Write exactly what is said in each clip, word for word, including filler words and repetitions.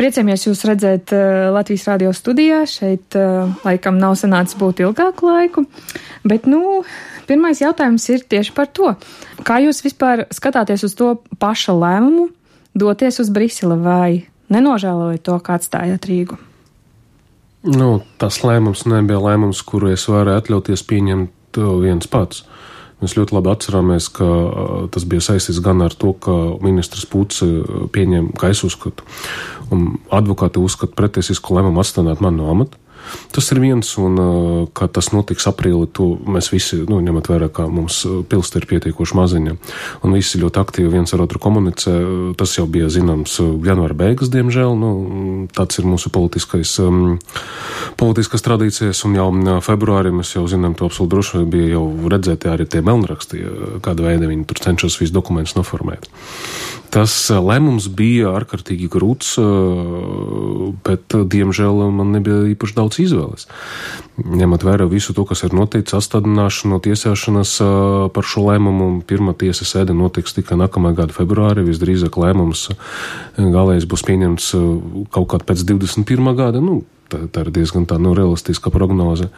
Priecājamies jūs redzēt Latvijas radio studijā. Šeit laikam nav sanācis būt ilgāku laiku, bet, nu, pirmais jautājums ir tieši par to. Kā jūs vispār skatāties uz to paša lēmumu doties uz Briseli vai nenožēlojat to, kā atstājāt Rīgu? Nu, tas lēmums nebija lēmums, kuru es varēju atļauties pieņemt viens pats. Mēs ļoti labi atcerāmies, ka tas bija saistīts gan ar to, ka ministrs Puts pieņem, kā es uzskatu, un advokāti uzskata pretiesisku lēmumu atstādināt mani no amata. Tas ir viens, un kā tas notiks aprīli, to mēs visi, nu, ņemot vērā, kā mums pilsta ir pietiekoši maziņa, un visi ļoti aktīvi viens ar otru komunicē. Tas jau bija zināms janvāra beigas, diemžēl, nu, tāds ir mūsu politiskais, um, politiskas tradīcijas, un jau februārī mēs jau zinām to absolūti droši, bija jau redzēti arī tie melnraksti, kāda veida viņi tur cenšas visu dokumentus noformēt. Tas lēmums bija ārkārtīgi grūts, bet, diemžēl, man nebija īpaši daudz izvēles. Ņemot vērā visu to, kas ir noticis, atstādināšanu, tiesāšanas par šo lēmumu, pirmā tiesa sēde notiks tikai nākamā gada februārī, visdrīzāk lēmums galējais būs pieņemts kaut kādā pēc divdesmit pirmā gada, nu, tā, tā ir diezgan tā, nu, realistiska prognoze.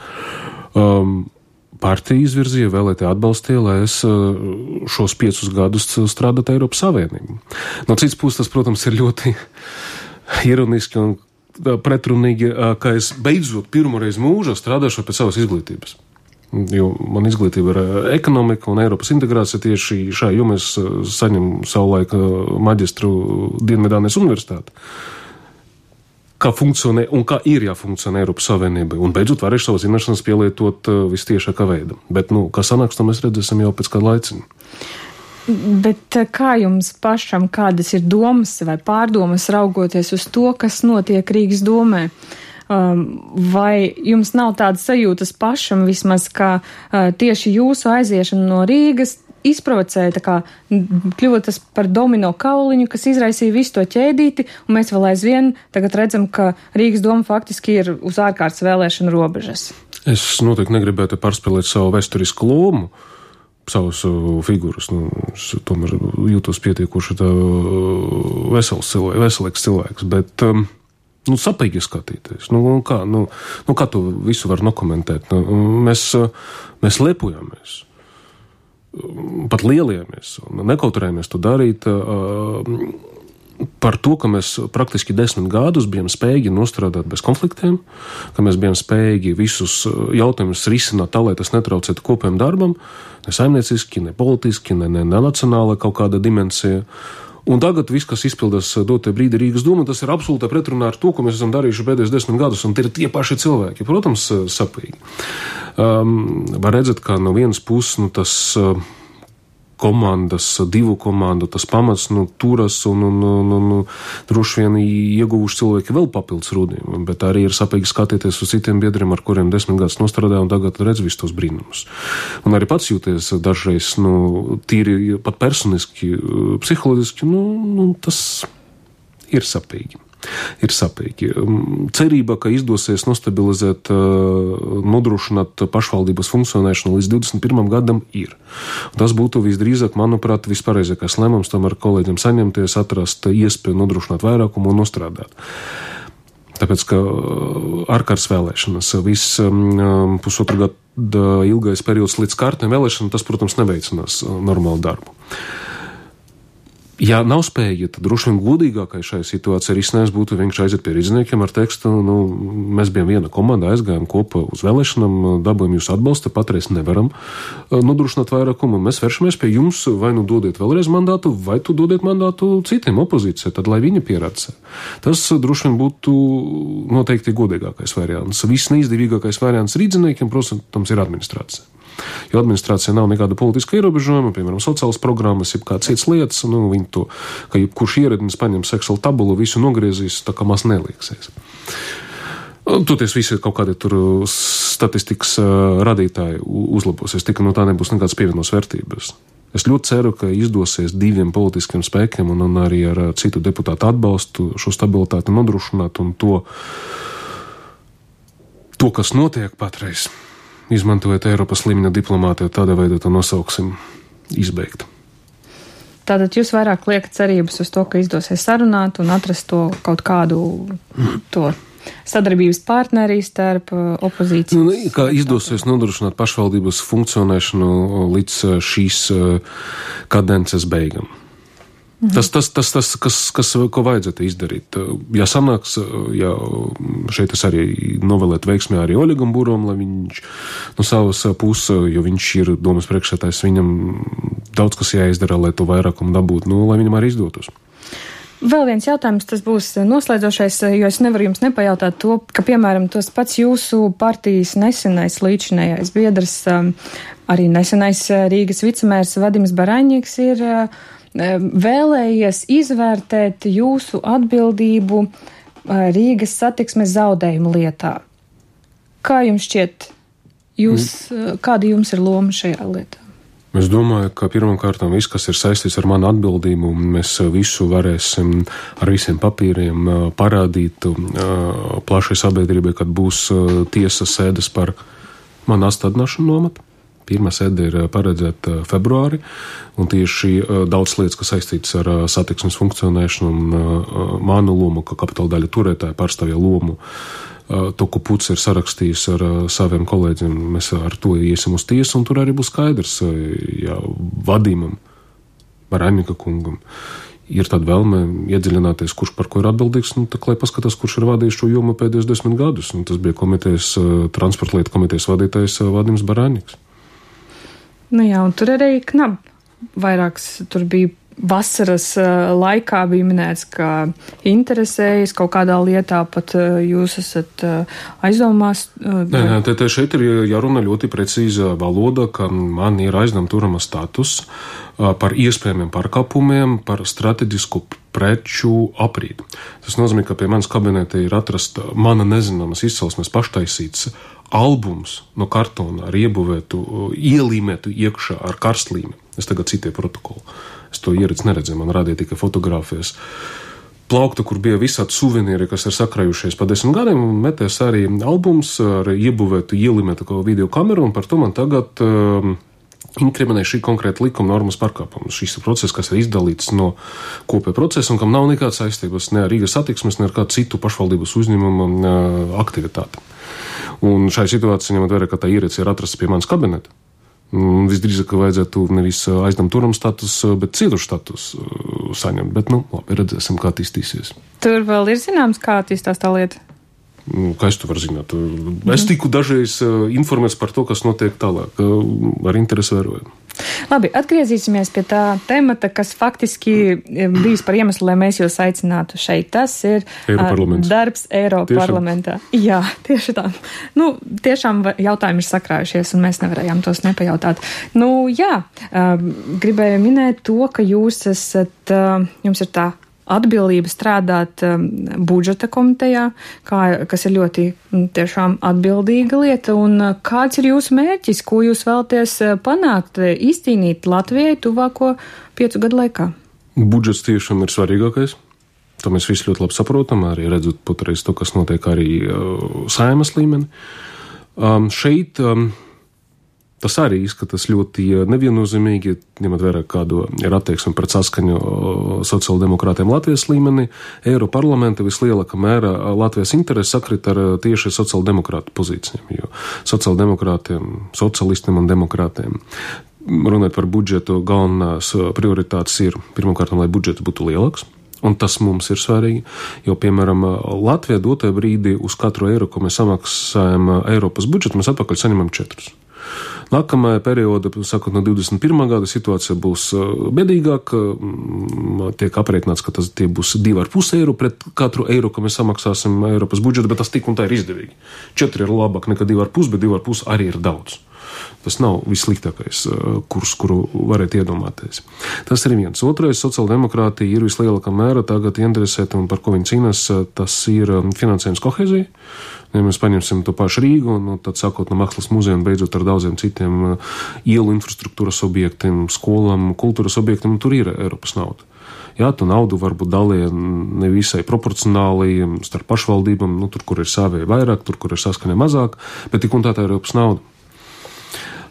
Um, Partija izvirzīja, vēlētāji atbalstīja, lai es šos piecus gadus strādātu Eiropas Savienību. No cits puses, tas, protams, ir ļoti ironiski un pretrunīgi, ka es beidzot pirmoreiz mūžā strādāšu pēc savas izglītības. Jo man izglītība ir ekonomika un Eiropas integrācija, tieši šajā jomā es saņemu savulaik maģistru Dienvidānijas universitāti. Kā funkcionē un kā ir jāfunkcionē Eiropas Savienībai. Un beidzot varēšu savas zināšanas pielietot uh, vistiešākā veidā. Bet, nu, kā sanāks, to mēs redzēsim jau pēc kāda laicina. Bet kā jums pašam, kādas ir domas vai pārdomas raugoties uz to, kas notiek Rīgas domē? Um, vai jums nav tādas sajūtas pašam vismaz, ka uh, tieši jūsu aiziešana no Rīgas izprovocēja, tā kā kļuva tas par domino kauliņu, kas izraisīja visu to ķēdīti, un mēs vēl aizvien tagad redzam, ka Rīgas doma faktiski ir uz ārkārtas vēlēšanu robežas. Es noteikti negribētu pārspēlēt savu vēsturisku lomu, savus figūras. Nu, es tomēr jūtos pietiekoši tā vesels cilvēks, veselīgs cilvēks, bet um, nu, sapīgi skatīties. Nu, kā, nu, nu, kā to visu var nokomentēt? Nu, mēs, mēs lepojamies. Pat lieliemies un nekautrējamies to darīt par to, ka mēs praktiski desmit gadus bijām spējīgi nostrādāt bez konfliktiem, ka mēs bijām spējīgi visus jautājumus risināt tā, lai tas netraucētu kopējam darbam, ne saimnieciski, ne politiski, ne, ne, ne nacionāla kaut kāda dimensija. Un tagad viss, kas izpildās dotie brīdi Rīgas doma, tas ir absolūti pretrunā ar to, ko mēs esam darījuši pēdējos desmit gadus, un tie ir tie paši cilvēki. Protams, sapīgi. Um, var redzēt, ka no vienas puses, nu, tas uh, komandas, divu komandu, tas pamats, nu, turas un, un, un, un droši vien ieguvuši cilvēki vēl papildus rūdiem, bet arī ir sapīgi skatīties uz citiem biedriem, ar kuriem desmit gadus nostrādāja un tagad redz visus tos brīnumus. Un arī pats jūties dažreiz, nu, tīri pat personiski, psiholoģiski, nu, nu tas ir sapīgi. Ir sapīgi. Cerība, ka izdosies nostabilizēt, nodrošināt pašvaldības funkcionēšanu līdz divdesmit pirmam gadam ir. Tas būtu visdrīzāk, manuprāt, vispareizākais lēmums tam ar kolēģiem saņemties, atrast iespēju nodrošināt vairākumu un nostrādāt. Tāpēc, ka ārkārtas vēlēšanas, viss um, pusotru gadu ilgais periods līdz kārtiem vēlēšanām, tas, protams, neveicinās normālu darbu. Ja nav spēja, tad droši vien godīgākai šai situācijai risinājums būtu vienkārši aiziet pie rīzniekiem ar tekstu, nu, mēs bijām viena komanda, aizgājām kopā uz vēlēšanām, dabūjām jūsu atbalstu, patreiz nevaram nodrošināt vairākumu, mēs vēršamies pie jums, vai nu dodiet vēlreiz mandātu, vai tu dodiet mandātu citiem opozīcijai, tad lai viņi pierāda. Tas droši vien būtu noteikti godīgākais variants. Viss neizdevīgākais variants rīzniekiem, protams, ir administrācija. Jo administrācija nav nekāda politiska ierobežojuma, piemēram, sociālas programmas, jeb kāds cits lietas, nu, viņi to, ka jebkurš ieradnis paņem Excel tabulu, visu nogriezīs, tā kā maz nelieksies. Toties visi kaut kādi tur statistikas radītāji uzlabosies, tikai no tā nebūs nekādas pievienotās vērtības. Es ļoti ceru, ka izdosies diviem politiskiem spēkiem un, un arī ar citu deputātu atbalstu šo stabilitāti nodrošināt un to, to kas notiek patreiz, izmantojot Eiropas līmeņa diplomātiju, tādā veidā to nosauksim, izbeigt. Tātad jūs vairāk liekat cerības uz to, ka izdosies sarunāt un atrast to kaut kādu to sadarbības partnerī starp opozīciju. Nu, kā izdosies nodrošināt pašvaldības funkcionēšanu līdz šīs kadences beigām. Mhm. Tas, tas, tas, tas kas, kas, ko vajadzētu izdarīt. Ja sanāks, ja šeit es arī novēlētu veiksmē arī Oļegam Burom, lai viņš no savas puses, jo viņš ir domas priekšsētājs, viņam daudz kas jāizdara, lai to vairākumu dabūtu, nu, lai viņam arī izdotos. Vēl viens jautājums, tas būs noslēdzošais, jo es nevaru jums nepajautāt to, ka, piemēram, tos pats jūsu partijas nesenais līdzinējais biedrs, arī nesenais Rīgas vicemērs Vadims Baraņiks ir vēlējies izvērtēt jūsu atbildību Rīgas satiksmes zaudējumu lietā. Kā jums šķiet, jūs, kāda jums ir loma šajā lietā? Es domāju, ka pirmkārt viss, kas ir saistīts ar manu atbildību, mēs visu varēsim ar visiem papīriem parādīt plašai sabiedrībai, kad būs tiesas sēdes par manu atstādināšanu nomatu. Pirmā sēde ir paredzēta februāri, un tieši daudz lietas, kas saistītas ar satiksmes funkcionēšanu un manu lomu, kā kapitāla daļa turētāja pārstāvja lomu, to, ko Puts ir sarakstījis ar saviem kolēģiem, mēs ar to iesim uz tiesu, un tur arī būs skaidrs, ja Vadimam, Baraņika kungam, ir tāda vēlme iedziļināties, kurš par ko ir atbildīgs, nu, tā, lai paskatās, kurš ir vadījis šo jomu pēdējos desmit gadus, un tas bija komitejas, transporta lietu komitejas vadītājs Vadims Baraņiks. Nu jā, un tur arī knab vairāks, tur bija vasaras laikā bija minēts, ka interesējas kaut kādā lietā, pat jūs esat aizdomās. Nē, nē, te, te šeit ir jārunā ļoti precīza valoda, ka man ir aizdevuma turama status par iespējamiem pārkāpumiem, par strateģisku preču aprīdi. Tas nozīmē, ka pie manas kabineta ir atrasta mana nezināmas izcelsmes paštaisīts albums no kartona ar iebuvētu, ielīmētu iekšā ar karstlīmi. Es tagad citēju protokolu. Es to ieredzu neredzēju, man rādīja tikai fotogrāfijas. Plaukta, kur bija visādi suvenīri, kas ir sakrājušies pa desmit gadiem, un metēs arī albums ar iebuvētu, ielīmētu video kameru, un par to man tagad uh, inkriminē šī konkrēta likuma normas pārkāpuma. Šis process, kas ir izdalīts no kopēja procesa, un kam nav nekādas saistības ne ar Rīgas satiksmes, ne ar kādu citu pašvaldības uzņēmumu uh, aktivitāti. Un šai situācijai ņemot vērā, ka tā ierīce ir atrasta pie manas kabineta. Visdrīzāk, ka vajadzētu nevis aizdam turam status, bet citu status saņemt. Bet, nu, labi, redzēsim, kā attīstīsies. Tur vēl ir zināms, kā attīstās tā lieta? Kā es to varu zināt? Mm. Es tiku dažreiz informēts par to, kas notiek tālāk. Ar interesi vēroju. Labi, atgriezīsimies pie tā temata, kas faktiski bijis par iemeslu, lai mēs jūs aicinātu šeit. Tas ir darbs Eiroparlamentā. Jā, tieši tā. Nu, tiešām jautājumi ir sakrājušies, un mēs nevarējām tos nepajautāt. Nu, jā, gribēju minēt to, ka jūs esat, jums ir tā atbildība strādāt um, budžeta komitejā, kā, kas ir ļoti tiešām atbildīga lieta, un uh, kāds ir jūsu mērķis, ko jūs vēlaties uh, panākt, izcīnīt Latvijai tuvāko piecu gadu laikā? Budžets tiešām ir svarīgākais. To mēs visi ļoti labi saprotam, arī redzot patreiz to, kas notiek arī uh, Saeimas līmeni. Um, šeit um, tas arī izskatās ļoti neviennozīmīgi, ņemot vērā, kādu ir attieksme pret saskaņu sociāldemokrātiem Latvijas līmenī. Eiroparlamenta vislielākā mērā Latvijas interesi sakrit ar tieši sociāldemokrātu pozīcijām, jo sociāldemokrātiem, socialistiem un demokrātiem runāt par budžetu galvenās prioritātes ir pirmkārt, lai budžets būtu lielāks. Un tas mums ir svarīgi, jo, piemēram, Latvijā dotajā brīdī uz katru eiro, ko mēs samaksājam Eiropas budžetu, mēs atpakaļ saņemam četrus. Nākamajā periodā, sakot, no divdesmit pirmā gada situācija būs bedīgāka, tiek aprēķināts, ka tas tie būs divi ar pus eiro pret katru eiro, ko mēs samaksāsim Eiropas budžetu, bet tas tik un tā ir izdevīgi. Četri ir labāk nekā divi ar pus, bet divi ar pus arī ir daudz. Tas nav vissliktākais kurs, kuru varētu iedomāties. Tas ir viens. Otrais, sociāldemokrātija ir vislielākā mēra tagad interesēta, un par ko viņi cīnās, tas ir finansējums kohēzija. Ja mēs paņemsim to pašu Rīgu, un tad sākot no Mākslas muzeja un beidzot ar daudziem citiem ielu infrastruktūras objektiem, skolām, kultūras objektiem, tur ir Eiropas nauda. Jā, tu naudu varbūt dalīja nevisai proporcionāli starp pašvaldībām, nu, tur, kur ir savēja vairāk, tur, kur ir saskaņa mazāk, bet tik un tā tā ir Eiropas nauda.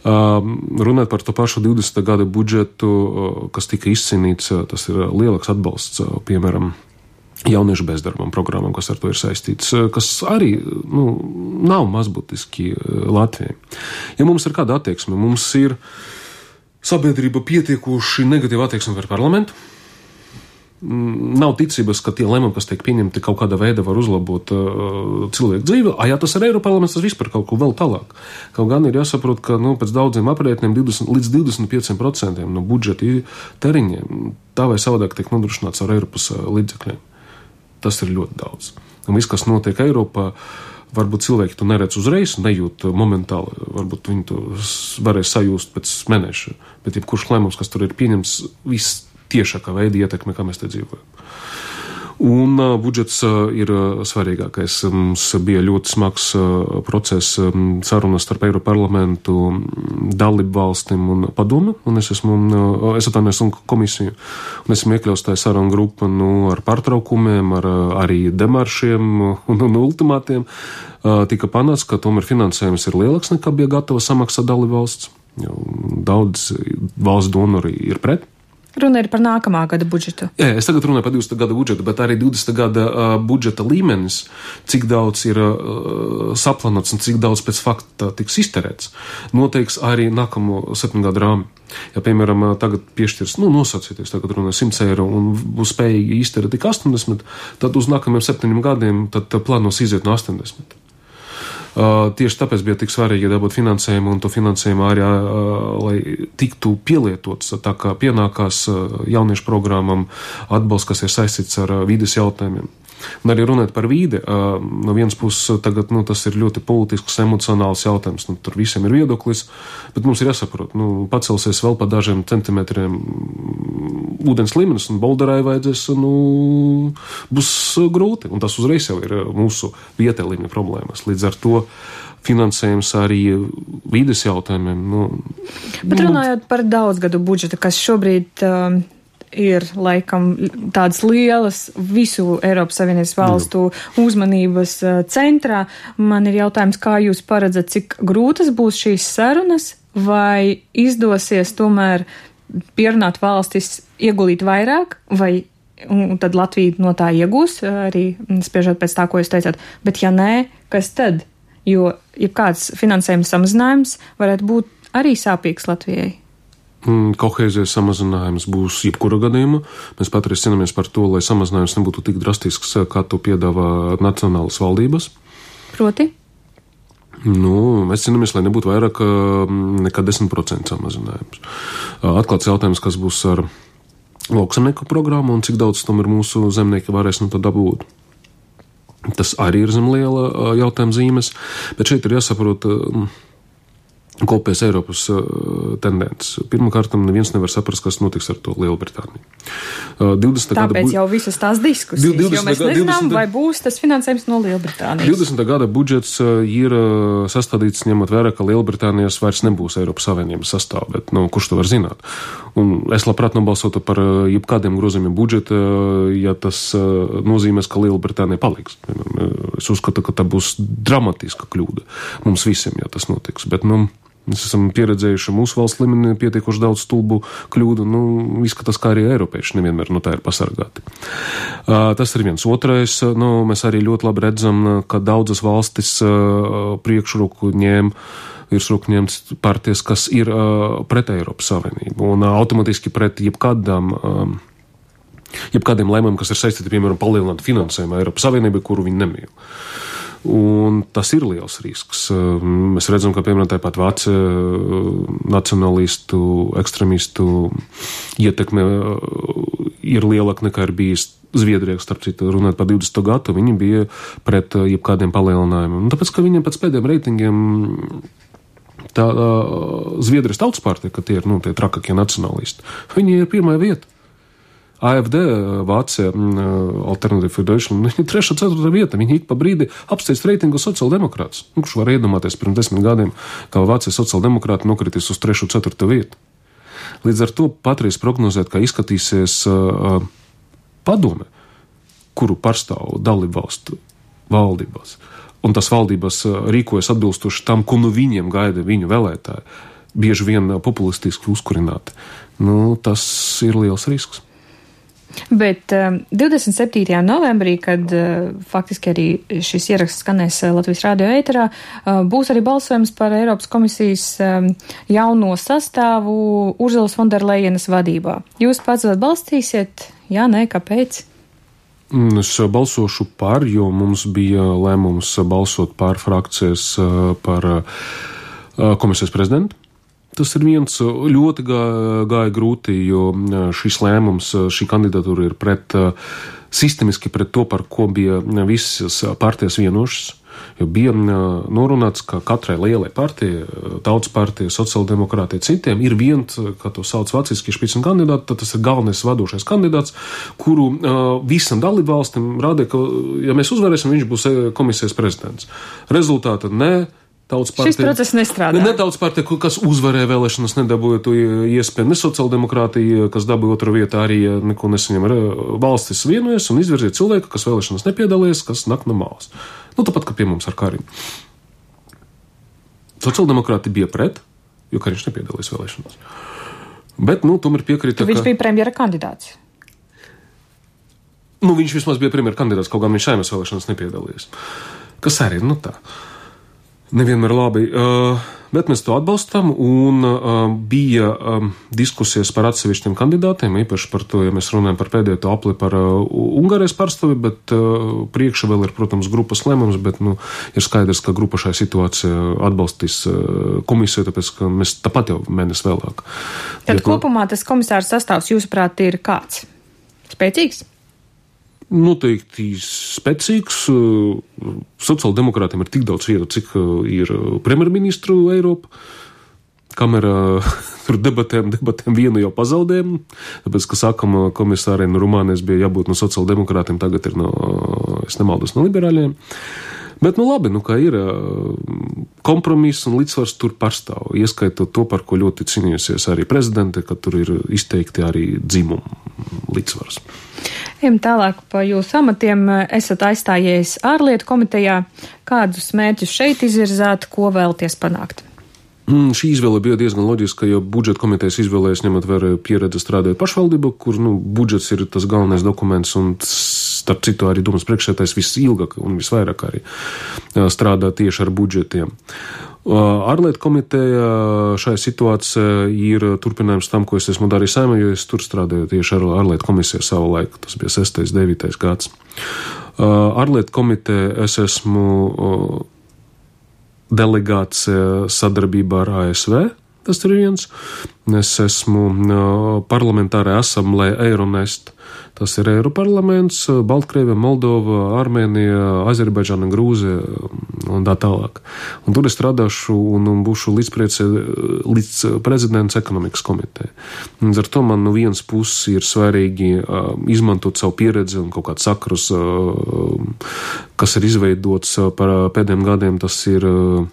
Runāt par to pašu divdesmitā gada budžetu, kas tika izcīnīts, tas ir lielāks atbalsts, piemēram, jauniešu bezdarbam programmam, kas ar to ir saistīts, kas arī nu, nav mazbūtiski Latvijai. Ja mums ir kāda attieksme, mums ir sabiedrība pietiekoši negatīva attieksme par parlamentu, nav ticības, ka tie lēmumi, kas tiek pieņemti, kaut kādā veidā var uzlabot uh, cilvēku dzīvi. A, ja tas ir Eiroparlaments, tas vispār kaut ko vēl tālāk. Kaut gan ir jāsaprot, ka nu, pēc daudziem aprēķiniem divdesmit līdz divdesmit pieciem procentiem no budžeta tēriņiem tā vai savādāk tiek nodrošināts ar Eiropas līdzekļiem. Tas ir ļoti daudz. Un viss, kas notiek Eiropā, varbūt cilvēki to neredz uzreiz, nejūt momentāli, varbūt viņi to varēs sajust pēc mēneša, bet jebkurš lēmums, kas tur ir pieņems, viss tiešākā veida ietekme, kā mēs te dzīvojam. Un uh, budžets uh, ir uh, svarīgākais. Mums bija ļoti smags uh, process um, sarunas starp Eiroparlamentu, dalību valstīm un padomi, un es esmu, uh, es atvainojos un komisiju, un esmu iekļauts tajā sarunu grupa, nu, ar pārtraukumiem, ar uh, arī demaršiem un, un ultimātiem. Uh, tika panāts, ka tomēr finansējums ir lielāks nekā bija gatava samaksāt dalību valsts. Daudz valsts donori ir pret. Runa ir par nākamā gada budžetu. Jā, es tagad runāju par divdesmitā gada budžetu, bet arī divdesmitā gada uh, budžeta līmenis, cik daudz ir uh, saplanots un cik daudz pēc fakta tiks izterēts, noteiks arī nākamo septiņu gadu rāmi. Ja, piemēram, tagad piešķirs, nu, nosacīties, tagad runāju simts eiro un būs spējīgi izterēt tik astoņdesmit, tad uz nākamajiem septiņiem gadiem tad plānos iziet no astoņdesmit. Uh, tieši tāpēc bija tik svarīgi dabūt finansējumu un to finansējumu arī, uh, lai tiktu pielietots tā kā pienākās uh, jauniešu programmam atbalsts, kas ir saistīts ar uh, vīdes jautājumiem. Un arī runāt par vīdi, uh, no vienas puses tagad, nu, tas ir ļoti politisks, emocionāls jautājums, nu, tur visiem ir viedoklis, bet mums ir jāsaprot, nu, pacelsies vēl pa dažiem centimetriem ūdens līmenis un Bolderai vajadzēs, nu, būs grūti, un tas uzreiz jau ir mūsu vietē līmeņa problēmas. Līdz ar to finansējums arī vīdes jautājumiem. Nu, bet runājot par daudzgadu budžetu, kas šobrīd uh, ir laikam tādas lielas visu Eiropas Savienības valstu uzmanības uh, centrā, man ir jautājums, kā jūs paredzat, cik grūtas būs šīs sarunas, vai izdosies tomēr pierunāt valstis ieguldīt vairāk, vai un tad Latvija no tā iegūs, arī spriežot pēc tā, ko jūs teicāt. Bet ja nē, kas tad? Jo jebkāds finansējuma samazinājums varētu būt arī sāpīgs Latvijai. Kohēzijas samazinājums būs jebkura gadījuma. Mēs pat arī cīnāmies par to, lai samazinājums nebūtu tik drastisks, kā to piedāvā nacionālas valdības. Proti? Nu, mēs cīnāmies, lai nebūtu vairāk nekā desmit procenti samazinājums. Atklāts jautājums, kas būs ar lauksaimnieku programmu un cik daudz tomēr mūsu zemnieki varēs no tā dabūt. Tas arī ir zem liela jautājuma zīmes, bet šeit ir jāsaprot kopējas Eiropas uh, tendences. Pirmkārt, neviens nevar saprast, kas notiks ar to Lielbritāniju. Uh, Tāpēc gada, jau visas tās diskusijas, divdesmitā jo mēs nezinām, divdesmitā vai būs tas finansējums no Lielbritānijas. divdesmitā gada budžets uh, ir uh, sastādīts ņemot vērā, ka Lielbritānijas vairs nebūs Eiropas Savienības sastāv, bet nu, kurš to var zināt? Un es labprāt nobalsotu par uh, jebkādiem grozījumiem budžeta, uh, ja tas uh, nozīmēs, ka Lielbritānija paliks. Uh, es uzskatu, ka tā būs dramatiska kļūda mums visiem, ja tas notiks. Bet, nu, mēs esam pieredzējuši mūsu valsts līmenī pietiekoši daudz stulbu kļūdu, nu, izskatās, kā arī eiropieši nevienmēr no tā ir pasargāti. Uh, tas ir viens. Otrais, nu, mēs arī ļoti labi redzam, ka daudzas valstis uh, priekšroku ņēma, virsroku ņemts partijas, kas ir uh, pret Eiropas Savienību un uh, automatiski pret jebkādām, uh, jebkādiem lēmumiem, kas ir saistīti, piemēram, palielināt finansējumu Eiropas Savienībai, kuru viņi nemīl. Un tas ir liels risks. Mēs redzam, ka, piemēram, tāpat vācu nacionalistu, ekstremistu ietekme ir lielāka nekā ir bijis Zviedrijā, starp citu, runāt par divdesmito gadu, viņi bija pret jebkādiem palielinājumiem. Un tāpēc, ka viņiem pēc pēdējiem reitingiem tā uh, Zviedrijas tautas partija, ka tie ir, nu, tie trakākie nacionalisti, viņi ir pirmā vieta. A F D, Vācija, Alternative for Deutschland, viņi ir trešā, ceturtā vieta, viņi ik pa brīdi apsteidz reitingu sociāldemokrātus. Nu, kurš var iedomāties pirms desmit gadiem, kā Vācijas sociāldemokrāti nokritīs uz trešo, ceturto vietu. Līdz ar to patreiz prognozēt, kā izskatīsies uh, padome, kuru pārstāv dalību valstu valdībās, un tas valdības uh, rīkojas atbilstoši tam, ko nu viņiem gaida viņu vēlētāji. bieži vien populistiski uzkurināti. Nu, tas ir liels risks. Bet um, divdesmit septītajā novembrī, kad uh, faktiski arī šis ieraksts skanēs uh, Latvijas radio ēterā, uh, būs arī balsojums par Eiropas komisijas um, jauno sastāvu Urzulas Fonderlejenas vadībā. Jūs pats atbalstīsiet? Jā, nē, kāpēc? Es balsošu par, jo mums bija lēmums balsot pār frakcijas par komisijas prezidentu. Tas ir viens ļoti gāja, gāja grūti, jo šis lēmums, šī kandidatūra ir pret, sistemiski pret to, par ko bija visas partijas vienošas. Jo bija norunāts, ka katrai lielai partijai, Tautas partija, sociāldemokrātija, citiem ir viens, kā to sauc vāciski, špicen kandidāts, tad tas ir galvenais vadošais kandidāts, kuru uh, visam dalībvalstim rādīja, ka, ja mēs uzvarēsim, viņš būs komisijas prezidents. Rezultāta ne. Partija, šis process nestrādā. Ne tautas partija, kas uzvarēja vēlēšanas, nedabūja to iespēju, ne sociāldemokrātija, kas dabūja otru vietu, arī neko nesaņem. Valstis vienojas un izvirzīja cilvēku, kas vēlēšanas nepiedalījies, kas nak no malas. Nu, tāpat, kā pie mums ar Karim. Sociāldemokrāti bija pret, jo Kariņš nepiedalījās vēlēšanās. Bet, nu, tomēr piekrita, viņš ka... bija premjera kandidāts. Nu, viņš vismaz bija premjera kandidāts, kaut gan viņš Saeimas vēlēšanās nepiedalījās. Kas arī, nu tā... Nevienmēr labi, uh, bet mēs to atbalstam, un uh, bija um, diskusijas par atsevišķiem kandidātiem, īpaši par to, ja mēs runājam par pēdējo to apli par uh, Ungārijas pārstāvi, bet uh, priekšā vēl ir, protams, grupas lēmums, bet, nu, ir skaidrs, ka grupa šai situācijā atbalstīs uh, komisiju, tāpēc, ka mēs tāpat jau mēnesi vēlāk. Tad bet, kopumā tas komisārs sastāvs, jūsuprāt, ir kāds? Spēcīgs? Noteikti spēcīgs. Sociāldemokrātiem ir tik daudz vietu, cik ir premjerministru Eiropa. Kamēr tur debatēm, debatēm vienu jau pazaudējam, tāpēc, ka sākam komisāriem no Rumānijas bija jābūt no sociāldemokrātiem, tagad ir no, es nemaldos, no liberāļiem. Bet, nu labi, nu kā ir, kompromiss un līdzsvars tur pastāv, ieskaitot to, par ko ļoti cīnījusies arī prezidente, ka tur ir izteikti arī dzimumu līdzsvars. Ejam tālāk pa jūsu amatiem. Esat aizstājies ārlietu komitejā. Kādus mērķus šeit izvirzāt, ko vēlaties panākt? Mm, šī izvēle bija diezgan loģiska, jo budžeta komitejas izvēlējas ņemot vērā pieredzi strādājot pašvaldību, kur, nu, budžets ir tas galvenais dokuments un, starp citu, arī domas priekšsēdētājs visilgāk un visvairāk arī strādā tieši ar budžetiem. Ārlietu komiteja šajā situācijā ir turpinājums tam, ko es esmu darījis Saeimā, jo es tur strādāju tieši ar ārlietu komisiju savu laiku. Tas bija sestais, devītais gads. Ārlietu komiteja es esmu delegācija sadarbībā ar A S V. Tas ir viens. Es esmu parlamentārā asamblēja Eironest. Tas ir Eiroparlaments, Baltkrievija, Moldova, Armēnija, Azerbaidžāna, Grūzija un tā tālāk. Un tur es strādāšu un, un būšu līdzpriece, līdz prezidents ekonomikas komiteja. Un ar to man no vienas puses ir svarīgi uh, izmantot savu pieredzi un kaut kāds sakrus, uh, kas ir izveidots uh, par pēdējiem gadiem. Tas ir uh,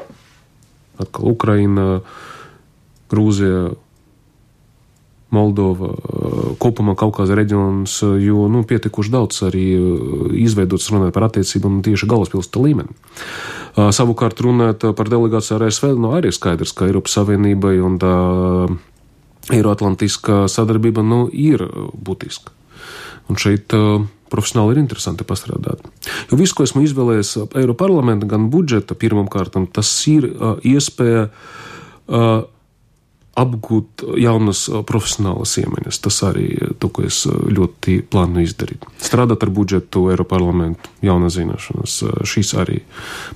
atkal Ukraina, Grūzija, Moldova, kopumā Kaukāza reģions, jo, nu, pietikuši daudz arī izveidots runāt par attiecībām tieši galvaspilsēta līmeni. Savukārt runāt par delegāciju ar A S V, nu, arī skaidrs, ka Eiropas Savienībai un tā Eiroatlantiskā sadarbība, nu, ir būtiska. Un šeit profesionāli ir interesanti pastrādāt. Jo visu, ko esmu izvēlējies Eiroparlamenta, gan budžeta pirmam kārtam, tas ir iespēja apgūt jaunas profesionālas iemaņas. Tas arī to, ko es ļoti plānu izdarīt. Strādāt ar budžetu, Eiroparlamentu, jaunas zināšanas, šīs arī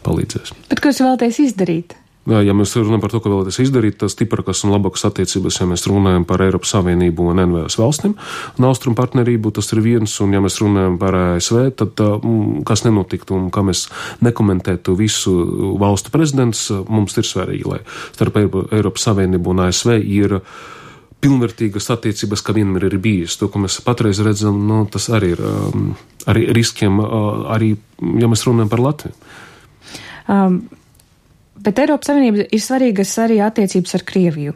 palīdzēs. Bet ko jūs vēlaties izdarīt? Ja mēs runājam par to, ko vēlaties izdarīt, tas stiprākas un labākas attiecības, ja mēs runājam par Eiropas Savienību un N V S valstīm, un austrumu partnerību, tas ir viens, un ja mēs runājam par A S V, tad kas nenotiktu un kā mēs nekomentētu visu valstu prezidents, mums ir svarīgi, lai starp Eiropas Savienību un A S V ir pilnvērtīgas attiecības, kā vienmēr ir bijis. To, ko mēs patreiz redzam, nu, tas arī ir um, arī riskiem, uh, arī, ja mēs runājam par Latviju. Um. Bet Eiropas Savienība ir svarīgas arī attiecības ar Krieviju.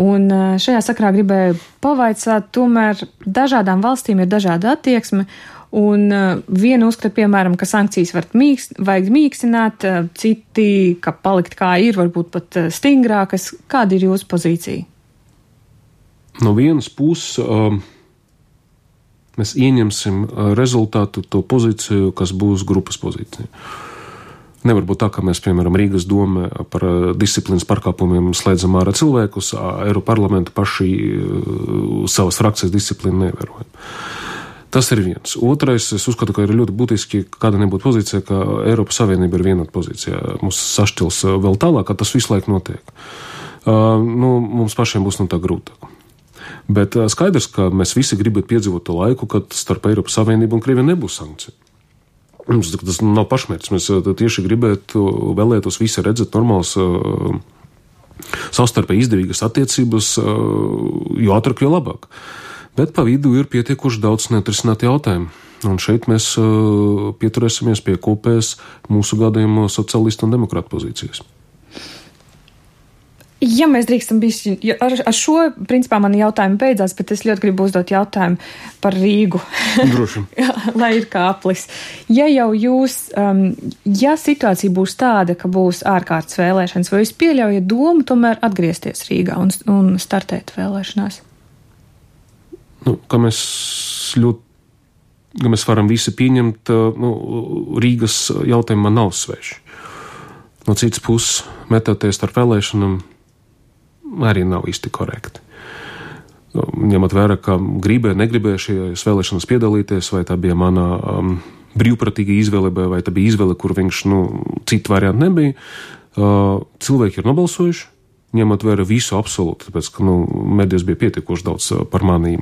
Un šajā sakrā gribēju pavaicāt, tomēr dažādām valstīm ir dažāda attieksme, Un uh, viena uzskata, piemēram, ka sankcijas var mīkst, vajag mīkstināt, uh, citi, ka palikt kā ir, varbūt pat uh, stingrākas. Kāda ir jūsu pozīcija? No vienas puses uh, mēs ieņemsim rezultātu to pozīciju, kas būs grupas pozīcija. Nevar būt tā, ka mēs, piemēram, Rīgas doma par disciplīnas pārkāpumiem slēdzam ārā cilvēkus, Eiroparlamentu paši savas frakcijas disciplīnu nevērojam. Tas ir viens. Otrais, es uzskatu, ka ir ļoti būtiski, kāda nebūtu pozīcija, ka Eiropas Savienība ir vienota pozīcija. Mums sašķils vēl tālāk, ka tas visu laiku notiek. Uh, nu, mums pašiem būs no tā grūtāk. Bet uh, skaidrs, ka mēs visi gribam piedzīvot to laiku, kad starp Eiropas Savienību un Krieviju nebūs sankciju. Mums tas nav pašmērķis. Mēs tieši gribētu, vēlētos visi redzēt normāls, uh, savstarpēji izdevīgas attiecības, uh, jo ātrāk, jo labāk. Bet pa vidu ir pietiekoši daudz neatrisināti jautājumi. Un šeit mēs uh, pieturēsimies pie kopējas mūsu gadījumā socialistu un demokrātu pozīcijas. Ja mēs drīkstam bišķi, ar, ar šo, principā, mani jautājumi beidzās, bet es ļoti gribu uzdot jautājumu par Rīgu. Droši. Lai ir kā aplis. Ja jau jūs, um, ja situācija būs tāda, ka būs ārkārtas vēlēšanas, vai jūs pieļaujat domu tomēr atgriezties Rīgā un, un startēt vēlēšanās? Nu, ka mēs ļoti, ka mēs varam visi pieņemt, nu, Rīgas jautājumu man nav sveši. No citas puses, metoties ar vēlēšanām, arī nav īsti korekti. Ņemot vērā, ka gribēju, negribēju šajās vēlēšanas piedalīties, vai tā bija mana um, brīvprātīga izvēle, vai tā bija izvēle, kur viņš, nu, citu variantu nebija. Uh, cilvēki ir nobalsojuši, ņemot vērā visu absolūti, tāpēc, ka, nu, medijas bija pietiekoši daudz par mani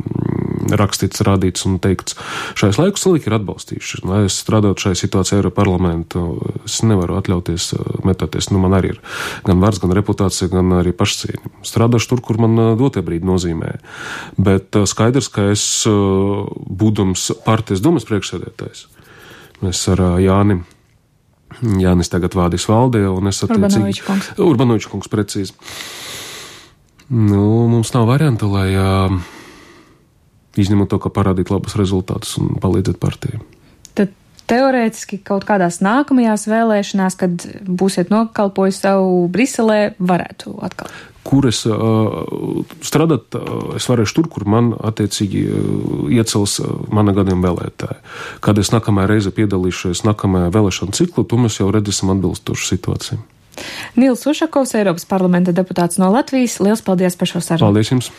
rakstīts, rādīts un teikts. Šais laikus cilvēki ir atbalstījuši. Lai es strādātu šajā situācijā Eiroparlamentu, es nevaru atļauties metāties. Nu, man arī ir gan vārds, gan reputācija, gan arī pašcieņa. Strādāšu tur, kur man dotie brīdi nozīmē. Bet skaidrs, ka es, būdams partijas domas priekšsēdētājs, mēs ar Jāni, Jānis tagad vādīs valdē, un es attiecīgi... Urbanoviča kungs. Urbanoviča kungs, precīzi. Nu, mums nav varianta, lai... Uh, izņemot to, ka parādīt labus rezultātus un palīdzēt partijai. Tad teorētiski kaut kādās nākamajās vēlēšanās, kad būsiet nokalpojis savu Briselē, varētu atkal? Kur es uh, strādāt, uh, es varēšu tur, kur man attiecīgi uh, iecels uh, mana gadījuma vēlētāji. Kad es nākamajā reize piedalīšos nākamajā vēlēšana ciklu, to mēs jau redzēsim atbilstošu situāciju. Nils Ušakovs, Eiropas parlamenta deputāts no Latvijas. Liels paldies par šo sarunu. Paldies jums!